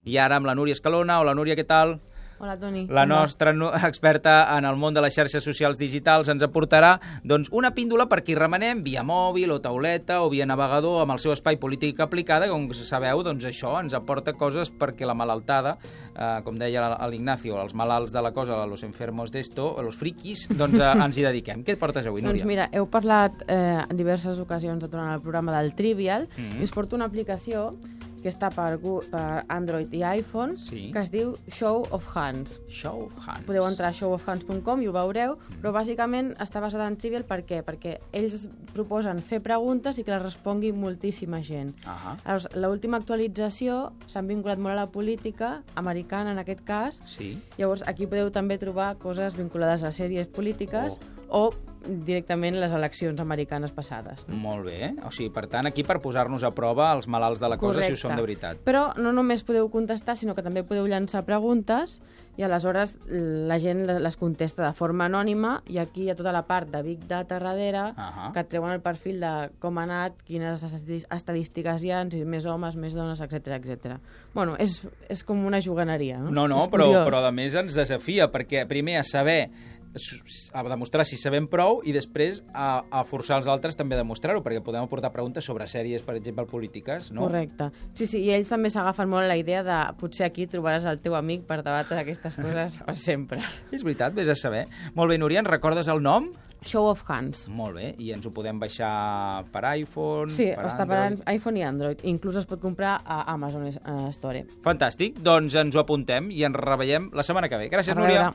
I ara amb la Núria Escalona. Hola, Núria, què tal? Hola, Toni. La nostra experta en el món de les xarxes socials digitals ens aportarà una píndola per qui remenem via mòbil o tauleta o via navegador amb el seu espai polític aplicada. Com sabeu, això ens aporta coses perquè la malaltada, com deia l'Ignacio, els malalts de la cosa, los enfermos d'esto, los friquis, ens hi dediquem. Què et portes avui, Núria? Doncs mira, heu parlat en diverses ocasions durant el programa del Trivial i us porto una aplicació que està per Android i iPhone, que es diu Show of Hands. Show of Hands. Podeu entrar a showofhands.com i ho veureu, però bàsicament està basada en Trivial per què? Perquè ells proposen fer preguntes i que les respongui moltíssima gent. L'última actualització s'han vinculat molt a la política americana, en aquest cas. Llavors, aquí podeu també trobar coses vinculades a sèries polítiques o directament les eleccions americanes passades. Molt bé. O sigui, per tant, aquí per posar-nos a prova els malalts de la cosa, si ho són de veritat. Però no només podeu contestar, sinó que també podeu llançar preguntes i aleshores la gent les contesta de forma anònima i aquí hi ha tota la part de Big Data darrere que et treuen el perfil de com ha anat, quines estadístiques hi ha, si més homes, més dones, etc. Bueno, és com una juganeria, no? No, però a més ens desafia, perquè primer a demostrar si sabem prou i després a forçar els altres també a demostrar-ho, perquè podem aportar preguntes sobre sèries, per exemple, polítiques, no? Correcte. Sí, i ells també s'agafen molt la idea de potser aquí trobaràs el teu amic per debatre aquestes coses per sempre. És veritat, vés a saber. Molt bé, Núria, ens recordes el nom? Show of Hands. Molt bé, i ens ho podem baixar per iPhone, per Android? Està per iPhone i Android. Inclús es pot comprar a Amazon Store. Fantàstic, doncs ens ho apuntem i ens reveiem la setmana que ve. Gràcies, Núria.